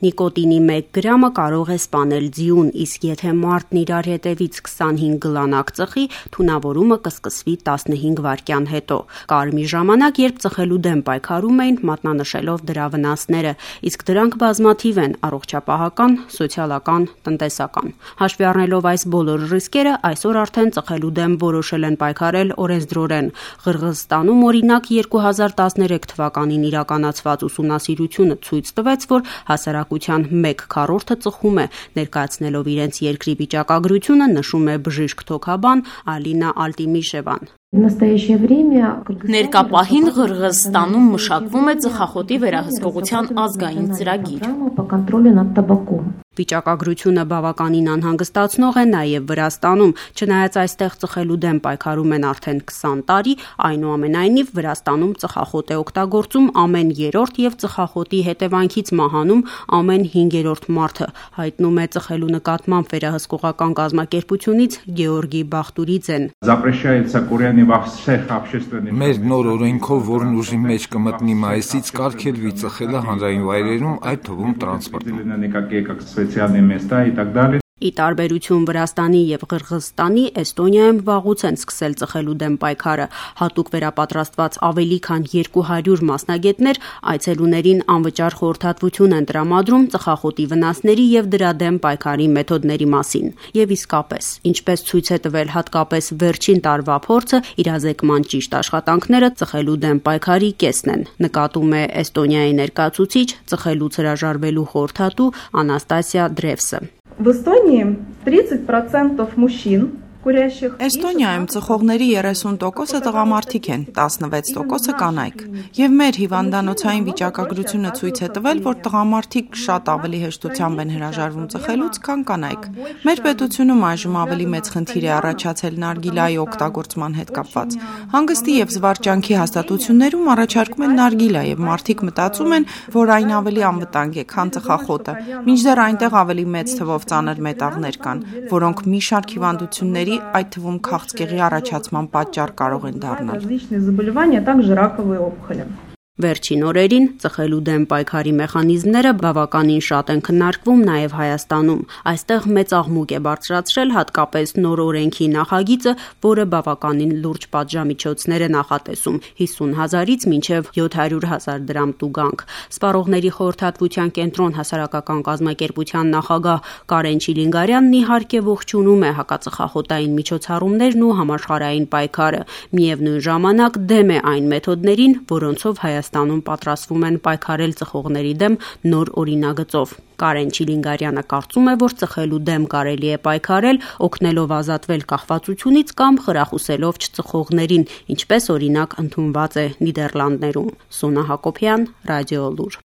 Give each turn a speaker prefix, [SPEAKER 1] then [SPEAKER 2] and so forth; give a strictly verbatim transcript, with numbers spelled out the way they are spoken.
[SPEAKER 1] Նիկոտինի մեկ գրամը կարող է սպանել ձիուն, իսկ եթե մարդն իրար հետևից քսանհինգ գլանակ ծխի, թունավորումը կսկսվի տասնհինգ վայրկյան հետո։ Կար մի ժամանակ, երբ ծխելու դեմ պայքարում էին, մատնանշելով դրա վնասները, իսկ դրանք բազմաթիվ են՝ առողջապահական, սոցիալական, տնտեսական։ Հաշվի առնելով այս բոլոր ռիսկերը, այսօր արդեն ծխելու դեմ որոշել են պայքարել օրենսդրորեն։ Ղրղըզստանում, օրինակ, երկու հազար տասներեք թվականին իրականացված ուսումնասիրությունը ցույց տվեց, որ հասարակության մեկ քառորդը ծխում է, ներկայացնելով իրենց երկրի վիճակագրությունը, նշում է բժիշկ թոքաբան Ալինա Ալտիմիշևան։
[SPEAKER 2] Ներկա պահին Ղրղըզստանում մշակվում է ծխախոտի վերահսկողության ազգային ծրագիր։
[SPEAKER 1] Վիճակագրությունը բավականին անհանգստացնող է նաև Վրաստանում, չնայած այստեղ ծխելու դեմ պայքարում են արդեն քսան տարի, այնուամենայնիվ Վրաստանում ծխախոտ է օգտագործում ամեն երրորդ եւ ծխախոտի հետևանքից մահանում ամեն հինգերորդ մարդը, հայտնում է ծխելու նկատմամբ վերահսկողական կազմակերպությունից Գեորգի Բախտուրիձեն։
[SPEAKER 3] Մեր նոր օրենքով, որն ուժի մեջ կմտնի մայիսից, կարգելվի ծխելը հանրային վայրերում, այդ թվում տրանսպորտում։
[SPEAKER 1] Ի տարբերություն Վրաստանի եւ Ղրղըզստանի, Էստոնիայում վաղուց են սկսել ծխելու դեմ պայքարը։ Հատուկ վերապատրաստված ավելի քան երկու հարյուր մասնագետներ այցելուներին անվճար խորհրդատվություն են տրամադրում ծխախոտի վնասների եւ դրա դեմ պայքարի մեթոդների մասին։ Եվ իսկապես, ինչպես ցույց է տվել հատկապես վերջին տարվա փորձը, իրազեկման ճիշտ աշխատանքները ծխելու դեմ պայքարի կեսն են, նկատում է Էստոնիայի ներկայացուցիչ, ծխելուց հրաժարվելու խորհրդատու Անաստասիա Դրևսը։
[SPEAKER 4] В Эстонии тридцать процентов мужчин,
[SPEAKER 5] Էստոնիայում ծխողների երեսուն տոկոսը տղամարդիկ են, տասնվեց տոկոսը կանայք։ Եվ մեր հիվանդանոցային վիճակագրությունը ցույց է տվել, որ տղամարդիկ շատ ավելի հեշտությամբ են հրաժարվում ծխելուց, քան կանայք։ Մեր պետությունում այժմ ավելի մեծ խնդիր է առաջացել նարգիլայի օգտագործման հետ կապված։ Հանգստի եւ զվարճանքի հաստատություններում առաջարկում են նարգիլա եւ մարդիկ մտածում են, որ այն ավելի անվտանգ է, քան ծխախոտը, մինչդեռ այնտեղ ավելի մեծ թվով ծանր մետաղներ կան, որոնք մի շարք հիվանդությունների, այդ թվում քաղցկեղի առաջացման պատճառ կարող են դառնալ։
[SPEAKER 1] Վերջին օրերին ծխելու դեմ պայքարի մեխանիզմները բավականին շատ են քննարկվում նաև Հայաստանում։ Այստեղ մեծ աղմուկ է բարձրացրել հատկապես նոր օրենքի նախագիծը, որը բավականին լուրջ պատժամիջոցներ է նախատեսում՝ հիսուն հազարից մինչև յոթ հարյուր հազար դրամ տուգանք։ Սպառողների խորհրդատվության կենտրոն հասարակական կազմակերպության նախագահ Կարեն Չիլինգարյանն իհարկե ողջունում է հակածխախոտային միջոցառումներն ու համաշխարհային պայքարը, միևնույն ժամանակ դեմ է այն մեթոդներին, որոնցով Հայաստանը Հայաստանում պատրաստվում են պայքարել ծխողների դեմ նոր օրինագծով։ Կարեն Չիլինգարյանը կարծում է, որ ծխելու դեմ կարելի է պայքարել, օգնելով ազատվել կախվածությունից կամ խրախուսելով չծխողներին, ինչպես օրինակ ընդունված է Նիդերլանդներում։ Սոնա Հակոբյան, Ռադիո Լուր։